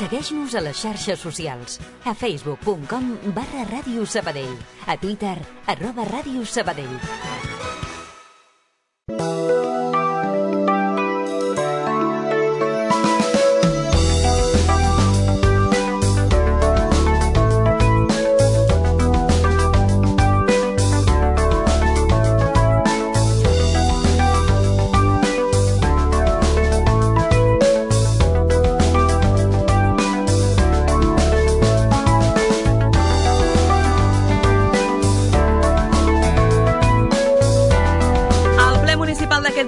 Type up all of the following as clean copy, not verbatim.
Segueix-nos a les xarxes socials. A facebook.com/Ràdio Sabadell. A Twitter, @Ràdio Sabadell.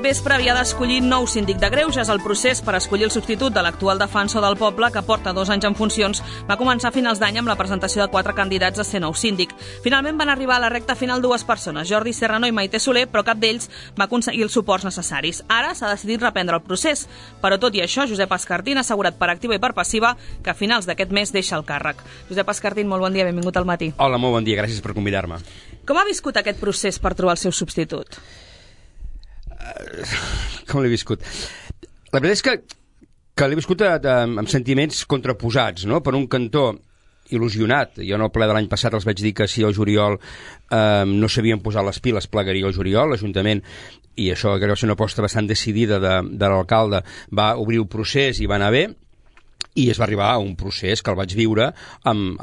Vespre havia d'escollir nou síndic de Greuges. El procés per escollir el substitut de l'actual defensor del poble, que porta 2 anys en funcions, va començar a finals d'any amb la presentació de 4 candidats a ser nou síndic. Finalment van arribar a la recta final 2 persones, Jordi Serrano i Maite Soler, però cap d'ells va aconseguir els suports necessaris. Ara s'ha decidit reprendre el procés, però tot i això, Josep Escartín ha assegurat per activa i per passiva que a finals d'aquest mes deixa el càrrec. Josep Escartín, molt bon dia, benvingut al matí. Hola, molt bon dia, gràcies per convidar-me. Com ha viscut aquest procés per trobar el seu substitut? Com l'he viscut? La veritat és que l'he viscut amb sentiments contraposats, no? Per un cantó, il·lusionat. Jo en el ple de l'any passat els vaig dir que si el juliol no s'havien posat les piles plegaria el juliol, l'Ajuntament, i això crec que va ser una aposta bastant decidida de l'alcalde, va obrir el procés i va anar bé, i es va arribar a un procés que el vaig viure amb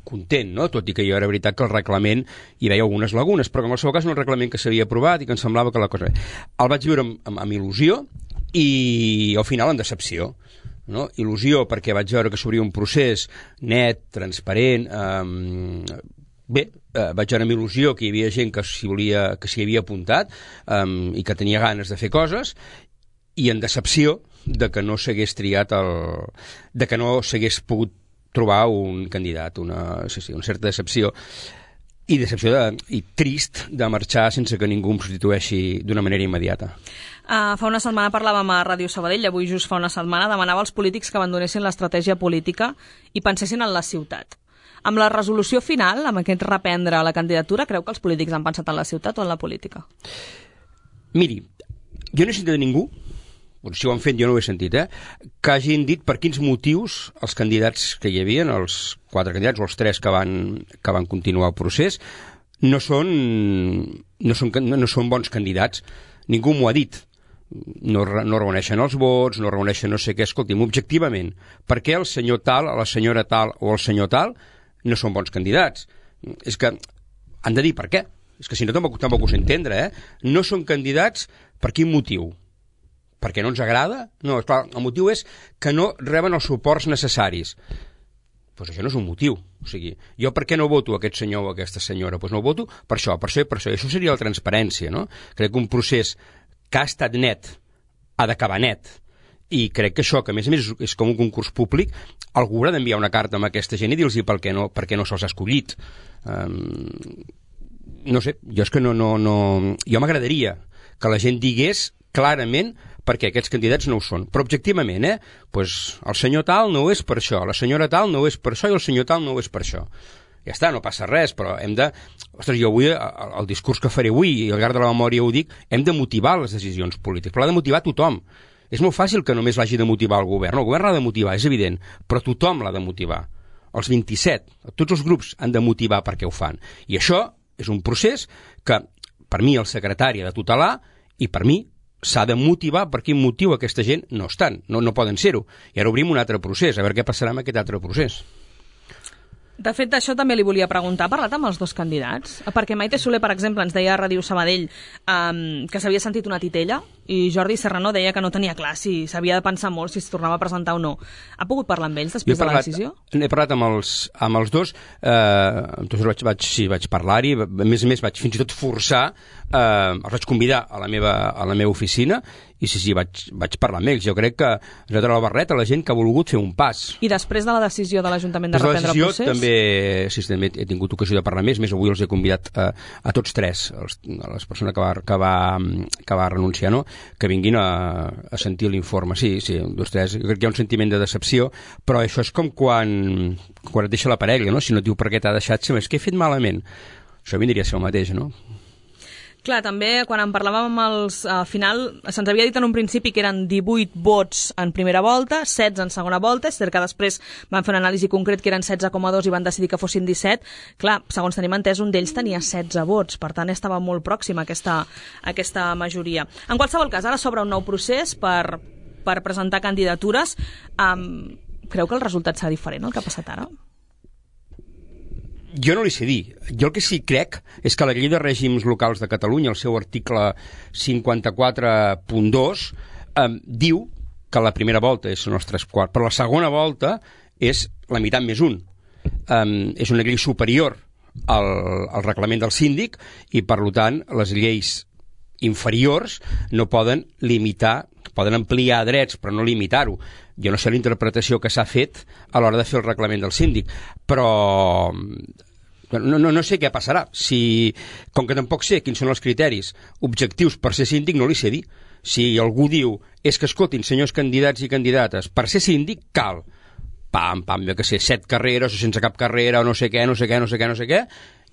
content, no? Tot i que jo era veritat que el reglament hi veia algunes lagunes, però que en el seu cas un reglament que s'havia aprovat i que em semblava que la cosa... El vaig viure amb il·lusió i al final amb decepció, no? Il·lusió perquè vaig veure que s'obria un procés net, transparent, bé, vaig veure amb il·lusió que hi havia gent que s'hi havia apuntat i que tenia ganes de fer coses, i en decepció de que no s'hagués triat de que no s'hagués pogut trobar un candidat, una certa decepció i trist de marxar sense que ningú em substitueixi d'una manera immediata. Fa una setmana parlàvem a Ràdio Sabadell, avui just fa una setmana demanava als polítics que abandonessin l'estratègia política i pensessin en la ciutat. Amb la resolució final, amb aquest reprendre la candidatura, creu que els polítics han pensat en la ciutat o en la política? Miri, jo no he sentit de ningú, si ho han fet jo no ho he sentit, que hagin dit per quins motius els candidats que hi havia, els 4 candidats o els 3 que van continuar el procés, no són bons candidats. Ningú m'ho ha dit. No reuneixen els vots, no reuneixen no sé què. Escolti'm, objectivament, per què el senyor tal, la senyora tal o el senyor tal no són bons candidats? És que han de dir per què. És que si no tampoc ho sé entendre, No són candidats per quin motiu? Perquè no ens agrada? No, esclar, el motiu és que no reben els suports necessaris. Doncs això no és un motiu. O sigui, jo per què no voto aquest senyor o aquesta senyora? Doncs no voto per això, per això i per això. I això seria la transparència, no? Crec que un procés que ha estat net ha d'acabar net. I crec que això, que a més és com un concurs públic, algú haurà d'enviar una carta a aquesta gent i dir-los per què no se'ls ha escollit. No sé, jo és que no... Jo m'agradaria que la gent digués clarament perquè aquests candidats no ho són. Però objectivament, pues el senyor tal no ho és per això, la senyora tal no ho és per això i el senyor tal no ho és per això. Ja està, no passa res, però hem de... Ostres, jo avui, el discurs que faré avui, i al llarg de la memòria ho dic, hem de motivar les decisions polítiques, però l'ha de motivar tothom. És molt fàcil que només l'hagi de motivar el govern. El govern l'ha de motivar, és evident, però tothom l'ha de motivar. Els 27, tots els grups han de motivar perquè ho fan. I això és un procés que, per mi, el secretari ha de tutelar i per mi s'ha de motivar per quin motiu aquesta gent no estan, no poden ser-ho. I ara obrim un altre procés, a veure què passarà amb aquest altre procés. De fet, això també li volia preguntar. Ha parlat amb els 2 candidats? Perquè Maite Soler, per exemple, ens deia a Ràdio Sabadell que s'havia sentit una titella i Jordi Serrano deia que no tenia clar si s'havia de pensar molt si es tornava a presentar o no. Ha pogut parlar amb ells després de la decisió? He parlat amb els 2, vaig parlar-hi, a més vaig fins i tot forçar, els vaig convidar a la meva oficina i sí, vaig parlar amb ells. Jo crec que ens ha tret la barreta a la gent que ha volgut fer un pas. I després de la decisió de l'Ajuntament de reprendre el procés? També he tingut ocasió de parlar més avui els he convidat a tots 3, a les persones que va renunciar, no? Que vinguin a sentir l'informe. Sí, 2, 3, jo crec que hi ha un sentiment de decepció, però això és com quan et deixa la parella, no? Si no et diu per què t'ha deixat, és que he fet malament. Això vindria a ser el mateix, no? Clar, també quan en parlàvem amb els... Al final, se'ns havia dit en un principi que eren 18 vots en primera volta, 16 en segona volta, és cert que després van fer una anàlisi concret que eren 16,2 i van decidir que fossin 17. Clar, segons tenim entès, un d'ells tenia 16 vots, per tant estava molt pròxim a aquesta majoria. En qualsevol cas, ara s'obre un nou procés per presentar candidatures. Creu que el resultat serà diferent, el que ha passat ara? Jo no li sé dir. Jo el que sí crec és que la llei de règims locals de Catalunya, el seu article 54.2, diu que la primera volta és uns 3/4, però la segona volta és la meitat més un. És una llei superior al reglament del síndic i, per tant, les lleis inferiors no poden limitar, poden ampliar drets, però no limitar-ho. Jo no sé la interpretació que s'ha fet a l'hora de fer el reglament del síndic, però no sé què passarà. Com que tampoc sé quins són els criteris objectius per ser síndic, no li sé dir. Si algú diu, és que escoltin, senyors candidats i candidates, per ser síndic cal jo que sé, 7 carreres o sense cap carrera o no sé què, i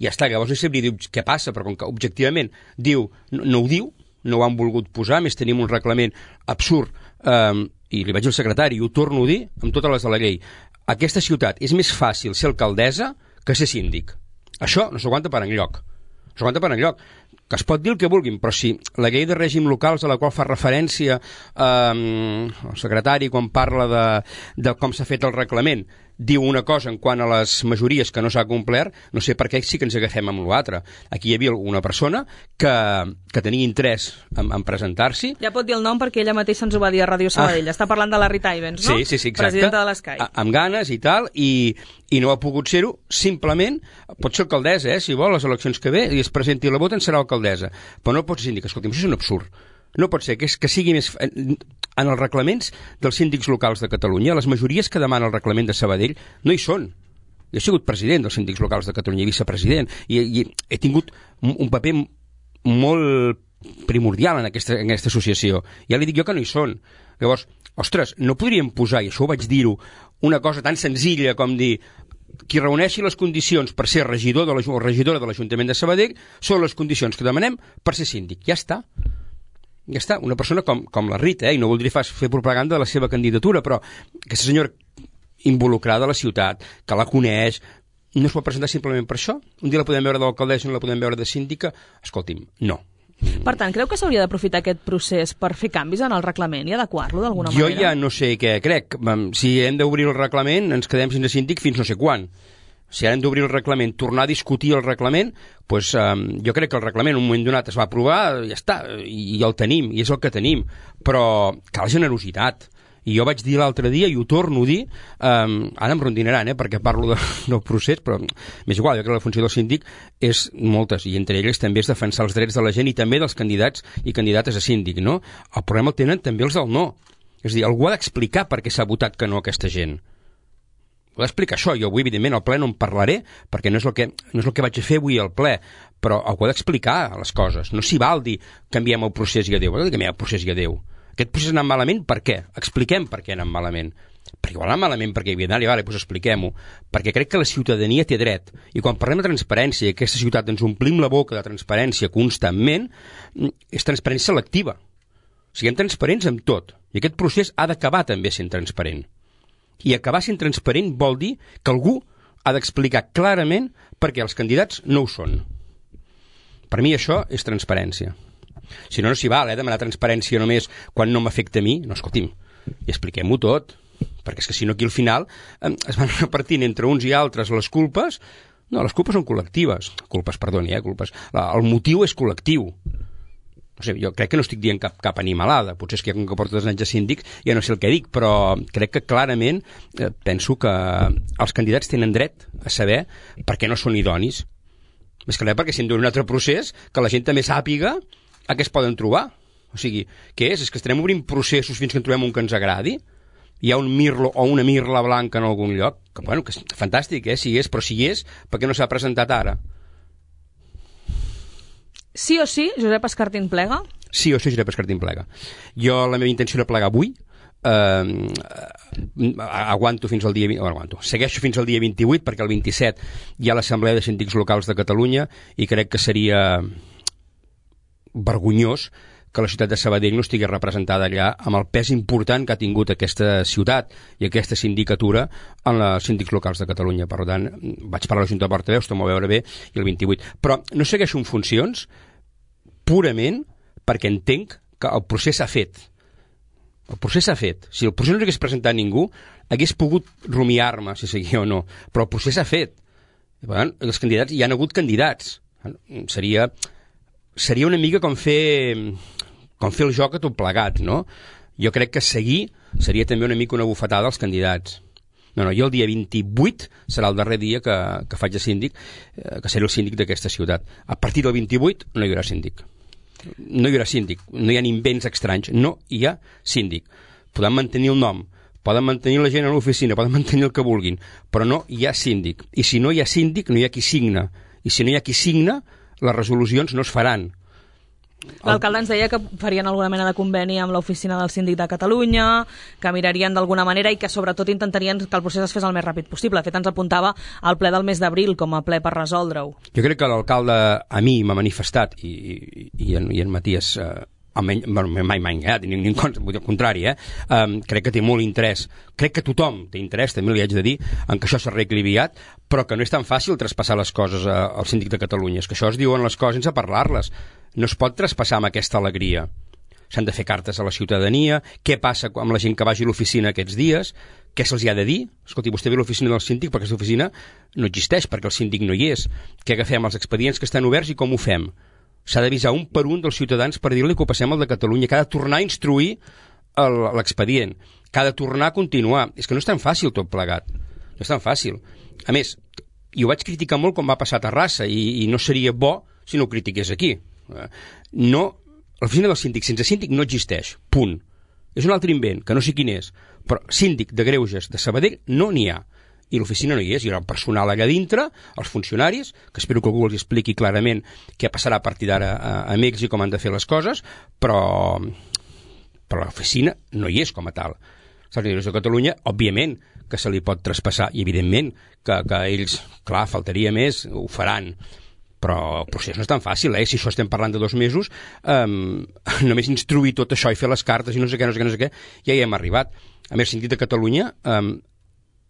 ja està, llavors no sabria dir què passa, però com que objectivament diu, no ho diu, no ho han volgut posar, més tenim un reglament absurd, i li vaig al secretari, i ho torno a dir amb totes les de la llei. Aquesta ciutat és més fàcil ser alcaldessa que ser síndic. Això no s'aguanta per enlloc. Que es pot dir el que vulguin, però si la llei de règim locals a la qual fa referència el secretari quan parla de com s'ha fet el reglament diu una cosa en quant a les majories que no s'ha complert, no sé per què sí que ens agafem amb l'altre. Aquí hi havia una persona que tenia interès en presentar-s'hi. Ja pot dir el nom perquè ella mateixa ens ho va dir a Ràdio Sabadell. Està parlant de la Rita Ivens, no? Sí, exacte. Presidenta de l'Escai. Amb ganes i tal, i no ha pogut ser-ho, simplement, pot ser alcaldessa, si vol, les eleccions que ve, i es presenti i la voten, serà alcaldessa. Però no pot ser síndic. Escolti'm, això és un absurd. No pot ser que sigui més... En els reglaments dels síndics locals de Catalunya, les majories que demana el reglament de Sabadell no hi són. Jo he sigut president dels síndics locals de Catalunya i vicepresident, i he tingut un paper molt primordial en aquesta associació. Ja li dic jo que no hi són. Llavors, ostres, no podríem posar, i això ho vaig dir-ho, una cosa tan senzilla com dir qui reuneixi les condicions per ser regidor o regidora de l'Ajuntament de Sabadell són les condicions que demanem per ser síndic. Ja està. Ja està, una persona com la Rita, i no voldria fer propaganda de la seva candidatura, però aquesta senyora involucrada a la ciutat, que la coneix, no es pot presentar simplement per això? Un dia la podem veure d'alcaldessa, no la podem veure de síndica? Escolti'm, no. Per tant, creu que s'hauria d'aprofitar aquest procés per fer canvis en el reglament i adequar-lo d'alguna manera? Jo ja no sé què crec. Si hem d'obrir el reglament, ens quedem sense síndic fins no sé quan. Si ara hem d'obrir el reglament, tornar a discutir el reglament, doncs jo crec que el reglament en un moment donat es va aprovar, ja està, i el tenim, i és el que tenim. Però cal generositat. I jo vaig dir l'altre dia, i ho torno a dir, ara em rondinaran, perquè parlo del procés, però m'és igual, jo crec que la funció del síndic és moltes, i entre elles també és defensar els drets de la gent i també dels candidats i candidates a síndic, no? El problema el tenen també els del no. És a dir, algú ha d'explicar per què s'ha votat que no aquesta gent. Ho he d'explicar això. Jo avui, evidentment, al ple no en parlaré, perquè no és el que vaig a fer avui al ple, però ho he d'explicar, les coses. No s'hi val dir canviem el procés i adéu. Canviem el procés i adéu. Aquest procés ha anat malament, per què? Expliquem per què ha anat malament. Perquè igual ha anat malament perquè hi havia d'anar, doncs expliquem-ho. Perquè crec que la ciutadania té dret. I quan parlem de transparència, i aquesta ciutat ens omplim la boca de transparència constantment, és transparència selectiva. Siguem transparents amb tot. I aquest procés ha d'acabar també sent transparent. I acabar sent transparent vol dir que algú ha d'explicar clarament per què els candidats no ho són. Per mi això és transparència. Si no, no s'hi val, demanar transparència només quan no m'afecta a mi. No, escolti'm, i expliquem-ho tot, perquè és que si no aquí al final es van repartint entre uns i altres les culpes. No, les culpes són col·lectives. Culpes, perdoni, culpes. El motiu és col·lectiu. No sé, jo crec que no estic dient cap animalada, potser és que com que porto 2 anys de síndic ja no sé el que dic, però crec que clarament penso que els candidats tenen dret a saber per què no són idonis. Més que res perquè si hem d'un altre procés, que la gent també sàpiga a què es poden trobar. O sigui, què és? És que estarem obrint processos fins que en trobem un que ens agradi? Hi ha un mirlo o una mirla blanca en algun lloc? Que, bueno, que és fantàstic, si és, però si hi és, per què no s'ha presentat ara? Sí o sí, Josep Escartín plega? Sí o sí, Josep Escartín plega. Jo, la meva intenció era plegar avui. Aguanto fins al dia... Segueixo fins al dia 28, perquè el 27 hi ha l'Assemblea de Síndics Locals de Catalunya i crec que seria vergonyós que la ciutat de Sabadell no estigui representada allà amb el pes important que ha tingut aquesta ciutat i aquesta sindicatura en els síndics locals de Catalunya. Per tant, vaig parlar a la Junta de Portaveus, t'ho veure bé, i el 28. Però no segueixo en funcions purament perquè entenc que el procés s'ha fet. El procés s'ha fet. Si el procés no hagués presentat ningú, hagués pogut rumiar-me si seguia o no. Però el procés s'ha fet. I, per tant, els candidats, hi han hagut candidats. Seria una mica com fer el joc a tot plegat, no? Jo crec que seguir seria també una mica una bufetada als candidats. No, jo el dia 28 serà el darrer dia que faig de síndic, que seré el síndic d'aquesta ciutat. A partir del 28 no hi haurà síndic. No hi haurà síndic, no hi ha invents estranys, no hi ha síndic. Podem mantenir el nom, poden mantenir la gent a l'oficina, poden mantenir el que vulguin, però no hi ha síndic. I si no hi ha síndic, no hi ha qui signa. I si no hi ha qui signa, les resolucions no es faran. L'alcalde ens deia que farien alguna mena de conveni amb l'oficina del síndic de Catalunya, que mirarien d'alguna manera i que sobretot intentarien que el procés es fes el més ràpid possible. De fet, ens apuntava al ple del mes d'abril com a ple per resoldre-ho. Jo crec que l'alcalde a mi m'ha manifestat i en Matías mai m'ha enganyat, ni al contrari, crec que té molt interès, crec que tothom té interès, també li haig de dir, en que això s'arregli aviat, però que no és tan fàcil traspassar les coses al síndic de Catalunya. És que això es diuen les coses sense parlar-les. No es pot traspassar amb aquesta alegria. S'han de fer cartes a la ciutadania. Què passa amb la gent que vagi a l'oficina aquests dies? Què se'ls ha de dir? Escolti, vostè ve a l'oficina del síndic perquè aquesta oficina no existeix, perquè el síndic no hi és. Què agafem els expedients que estan oberts i com ho fem? S'ha d'avisar un per un dels ciutadans per dir-li que ho passem al de Catalunya, que ha de tornar a instruir l'expedient, que ha de tornar a continuar. És que no és tan fàcil tot plegat. No és tan fàcil. A més, i ho vaig criticar molt quan va passar a Terrassa, i no seria bo si no ho critiqués aquí. No, l'oficina del síndic sense síndic no existeix, punt. És un altre invent, que no sé quin és, però síndic de Greuges de Sabadell no n'hi ha, i l'oficina no hi és. Hi ha el personal allà dintre, els funcionaris, que espero que algú els expliqui clarament què passarà a partir d'ara a Mèxic, com han de fer les coses, però l'oficina no hi és com a tal. Els servidors de Catalunya, òbviament que se li pot traspassar, i evidentment que ells, clar, faltaria més, ho faran, però el procés no és tan fàcil, si això estem parlant de 2 mesos, només instruir tot això i fer les cartes i no sé què, ja hi hem arribat. A més, el síndic de Catalunya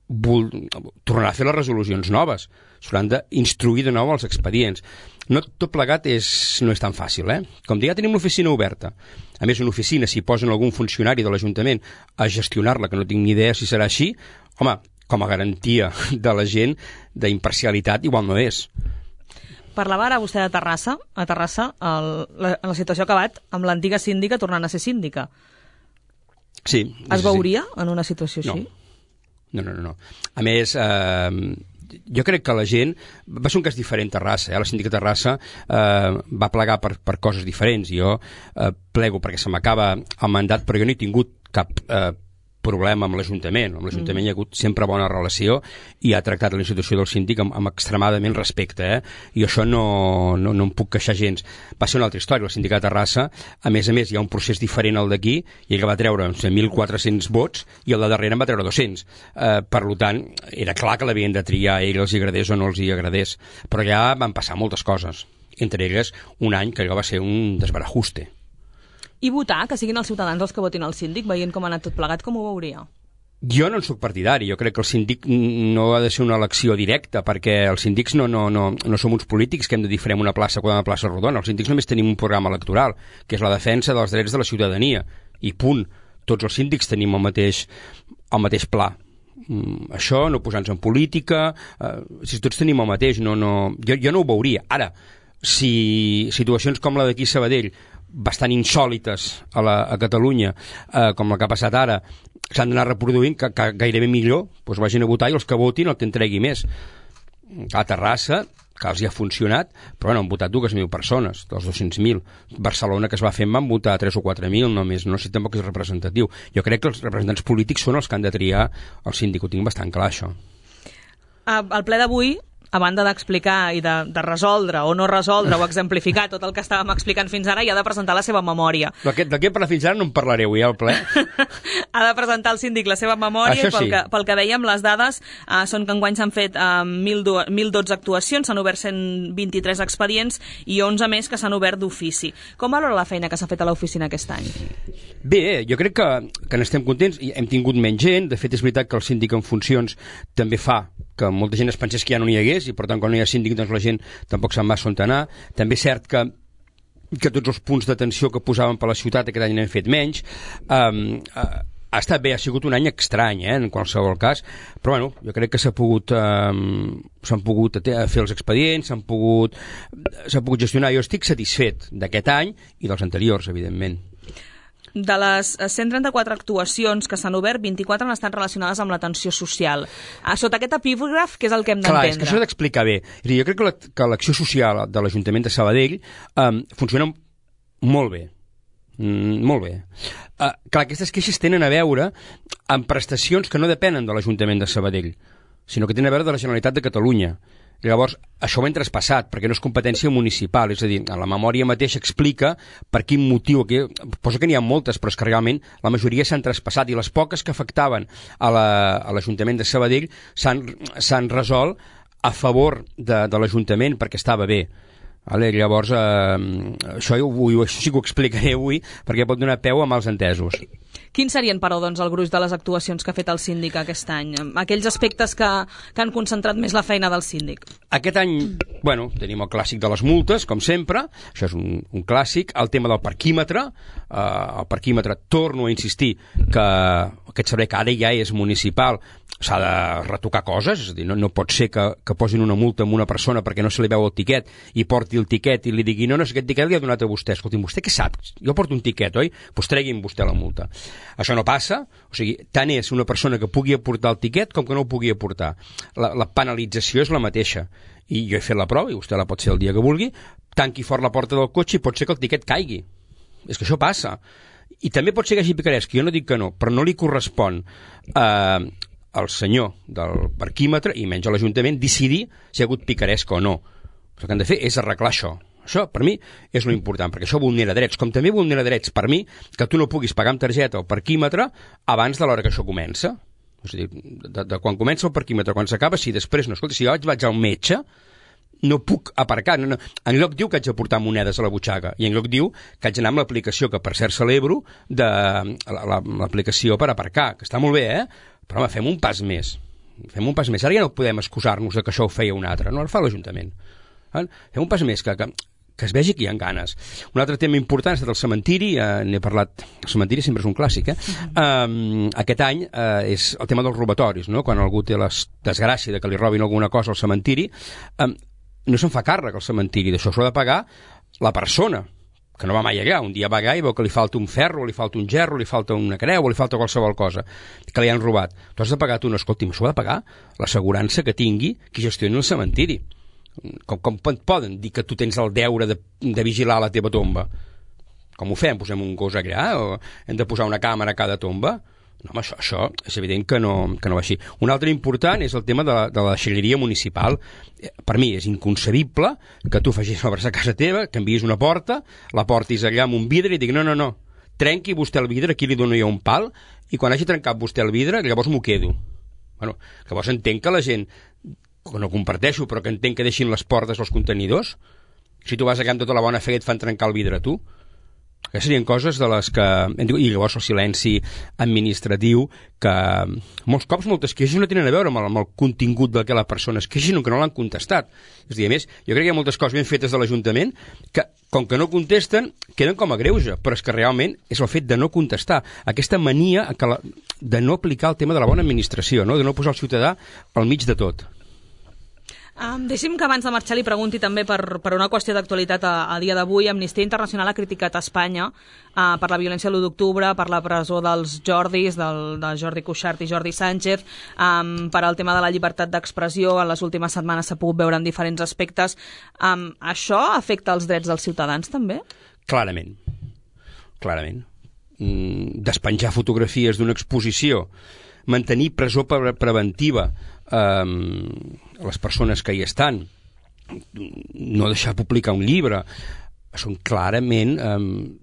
tornarà a fer les resolucions noves, s'hauran d'instruir de nou els expedients. No, tot plegat no és tan fàcil, Com dir, ja tenim l'oficina oberta. A més, una oficina, si posen algun funcionari de l'Ajuntament a gestionar-la, que no tinc ni idea si serà així, home, com a garantia de la gent d'imparcialitat, igual no és. Parlava ara vostè de Terrassa. A Terrassa, la situació ha acabat amb l'antiga síndica tornant a ser síndica. Sí. Es veuria en una situació així? No. A més, jo crec que la gent... Va ser un cas diferent, Terrassa. La síndica de Terrassa va plegar per coses diferents. Jo plego perquè se m'acaba el mandat, però jo no he tingut cap problema amb l'Ajuntament. Amb l'Ajuntament hi ha hagut sempre bona relació i ha tractat la institució del síndic amb extremadament respecte, i això no em puc queixar gens. Va ser una altra història, el síndic de Terrassa, a més, hi ha un procés diferent al d'aquí, i ell va treure 1.400 vots i el de darrere en va treure 200. Per tant, era clar que l'havien de triar, a ell els agradés o no els hi agradés, però ja van passar moltes coses, entre elles un any que allò va ser un desbarajuste. I votar, que siguin els ciutadans els que votin al síndic, veient com ha anat tot plegat, com ho veuria? Jo no en soc partidari. Jo crec que el síndic no ha de ser una elecció directa, perquè els síndics no som uns polítics que hem de dir farem una plaça quan una plaça rodona. Els síndics només tenim un programa electoral, que és la defensa dels drets de la ciutadania. I punt. Tots els síndics tenim el mateix pla. Això, no posar-nos en política... Si tots tenim el mateix, jo no ho veuria. Ara, si situacions com la d'aquí a Sabadell, bastant insòlites a Catalunya, com la que ha passat ara, s'han d'anar reproduint, que gairebé millor, doncs vagin a votar i els que votin el que en tregui més. A Terrassa, que els hi ha funcionat, però han votat 2.000 persones, dels 200.000. Barcelona, que es va fer, en van votar 3 o 4.000 només, no sé tampoc és representatiu. Jo crec que els representants polítics són els que han de triar el síndic, ho tinc bastant clar, això. Al ple d'avui a banda d'explicar i de resoldre o no resoldre o exemplificar tot el que estàvem explicant fins ara, i ha de presentar la seva memòria. De què parla fins ara no en parlareu, ja al ple. Ha de presentar al síndic la seva memòria, sí. i pel que dèiem, les dades són que enguany s'han fet 1.012 actuacions, s'han obert 123 expedients i 11 més que s'han obert d'ofici. Com valora la feina que s'ha fet a l'oficina aquest any? Bé, jo crec que n'estem contents. Hem tingut menys gent. De fet, és veritat que el síndic en funcions també fa que molta gent es pensés que ja no n'hi hagués i per tant quan no hi ha síndic doncs la gent tampoc sap massa on anar. També és cert que tots els punts d'atenció que posàvem per la ciutat aquest any n'hem fet menys. Ha estat bé, ha sigut un any estrany, en qualsevol cas, però bueno, jo crec que s'han pogut fer els expedients, s'han pogut gestionar. Jo estic satisfet d'aquest any i dels anteriors, evidentment. De les 134 actuacions que s'han obert, 24 han estat relacionades amb l'atenció social. Sota aquest epígraf, què és el que hem d'entendre? Clar, és que això s'ha d'explicar bé. Jo crec que l'acció social de l'Ajuntament de Sabadell funciona molt bé. Molt bé. Clar, aquestes queixes tenen a veure amb prestacions que no depenen de l'Ajuntament de Sabadell, sinó que tenen a veure de la Generalitat de Catalunya. Llavors, això ho hem traspassat, perquè no és competència municipal, és a dir, la memòria mateixa explica per quin motiu, posa que n'hi ha moltes, però és que realment la majoria s'han traspassat, i les poques que afectaven a l'Ajuntament de Sabadell s'han resolt a favor de l'Ajuntament perquè estava bé. Llavors, això sí que ho explicaré avui, perquè pot donar peu a mals entesos. Quins serien, però, doncs, el gruix de les actuacions que ha fet el síndic aquest any? Aquells aspectes que han concentrat més la feina del síndic? Aquest any, bueno, tenim el clàssic de les multes, com sempre, això és un clàssic, el tema del parquímetre, torno a insistir que aquest servei que ara ja és municipal s'ha de retocar coses, és a dir, no pot ser que posin una multa a una persona perquè no se li veu el tiquet i porti el tiquet i li digui no, aquest tiquet li ha donat a vostè. Escolti'm, vostè què sap? Jo porto un tiquet, oi? Doncs tregui'm vostè la multa. Això no passa, o sigui, tant és una persona que pugui aportar el tiquet com que no ho pugui aportar. La penalització és la mateixa. I jo he fet la prova, i vostè la pot fer el dia que vulgui, tanqui fort la porta del cotxe i pot ser que el tiquet caigui. És que això passa. I també pot ser que hagi picarès, que jo no dic que no, però no li correspon al senyor del parquímetre, i menys a l'Ajuntament, decidir si hi ha hagut picaresca o no. El que han de fer és arreglar això. Això, per mi, és lo important, perquè això vulnera drets, com també vulnera drets per mi que tu no puguis pagar amb targeta el parquímetre abans de l'hora que això comença. És a dir, de quan comença el parquímetre, quan s'acaba, si després no, escolta, si jo vaig al metge, no puc aparcar. No. En lloc diu que haig de portar monedes a la butxaca, i en lloc diu que haig d'anar amb l'aplicació que per cert celebro, l'aplicació per aparcar, que està molt bé, però home, fem un pas més. Ara ja no podem excusar-nos que això ho feia un altre, no, el fa l'Ajuntament. Fem un pas més, que es vegi que hi ha ganes. Un altre tema important ha estat el cementiri, n'he parlat, el cementiri sempre és un clàssic, aquest any és el tema dels robatoris, no? Quan algú té la desgràcia de que li robin alguna cosa al cementiri, no se'n fa càrrec al cementiri, d'això s'ho ha de pagar la persona, que no va mai allà, un dia va allà i veu que li falta un ferro, li falta un gerro, li falta una creu, o li falta qualsevol cosa, que li han robat. Tu has de pagar tu, no, escolti'm, això ho ha de pagar l'assegurança que tingui qui gestioni el cementiri. Com poden dir que tu tens el deure de vigilar la teva tomba? Com ho fem? Posem un gos allà? O hem de posar una càmera a cada tomba? No, home, això és evident que no va així. Un altre important és el tema de la deixalleria municipal. Per mi és inconcebible que tu facis obres a casa teva, que enviïs una porta, la portis allà amb un vidre i digui no, trenqui vostè el vidre, aquí li dono jo un pal, i quan hagi trencat vostè el vidre, llavors m'ho quedo. Bueno, llavors entenc que la gent, que no comparteixo, però que entenc que deixin les portes als contenidors. Si tu vas allà amb tota la bona fe et fan trencar el vidre a tu. Aquestes serien coses de les que... I llavors el silenci administratiu, que molts cops moltes queixes no tenen a veure amb el contingut del que la persona es queixa, sinó que no l'han contestat. És a dir, a més, jo crec que hi ha moltes coses ben fetes de l'Ajuntament que, com que no contesten, queden com a greuge, però és que realment és el fet de no contestar. Aquesta mania de no aplicar el tema de la bona administració, no? De no posar el ciutadà al mig de tot. Deixi'm que abans de marxar li pregunti també per una qüestió d'actualitat a dia d'avui. Amnistia Internacional ha criticat Espanya per la violència de l'1 d'octubre, per la presó dels Jordis, de Jordi Cuixart i Jordi Sánchez, per al tema de la llibertat d'expressió. En les últimes setmanes s'ha pogut veure en diferents aspectes. Això afecta els drets dels ciutadans també? Clarament. Despenjar fotografies d'una exposició, mantenir presó preventiva les persones que hi estan, no deixar publicar un llibre, són clarament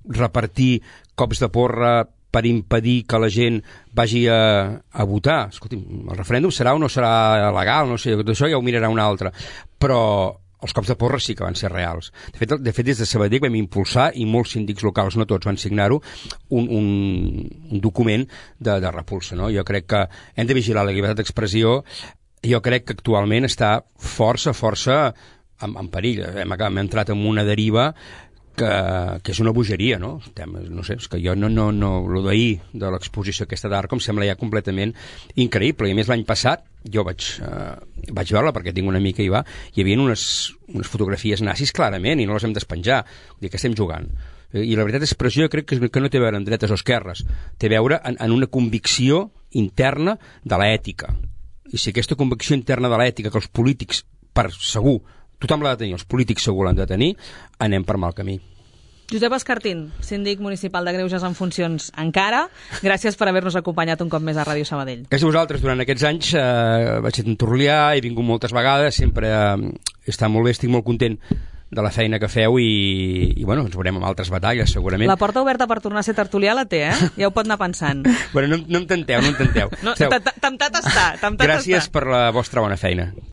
repartir cops de porra per impedir que la gent vagi a votar. Escolti'm, el referèndum serà o no serà legal, no sé, tot això ja ho mirarà un altre, però els cops de porra sí que van ser reals. De fet des de Sabadell vam impulsar, i molts síndics locals, no tots, van signar-ho, un document de repulsa, no? Jo crec que hem de vigilar la llibertat d'expressió. Jo crec que actualment està força en perill. Hem entrat en una deriva que és una bogeria, no? No sé, és que jo lo d'ahir de l'exposició aquesta d'art em sembla ja completament increïble. I a més l'any passat jo vaig veure-la perquè tinc una amica i hi havia unes fotografies nazis clarament i no les hem despenjar. Vull dir, que estem jugant. I la veritat d'expressió jo crec que no té a veure amb dretes o esquerres, té a veure en una convicció interna de l'ètica. I si aquesta convicció interna de l'ètica que els polítics, per segur, tothom l'ha de tenir, els polítics segur l'han de tenir, anem per mal camí. Josep Escartín, síndic municipal de Greuges en funcions encara, gràcies per haver-nos acompanyat un cop més a Ràdio Sabadell. Gràcies a vosaltres. Durant aquests anys vaig ser Torlià, he vingut moltes vegades, sempre està molt bé, estic molt content de la feina que feu i bueno, ens veurem amb altres batalles, segurament. La porta oberta per tornar a ser tertulià la té, Ja ho pot anar pensant. Bueno, no em tenteu. Temptat està. Gràcies per la vostra bona feina.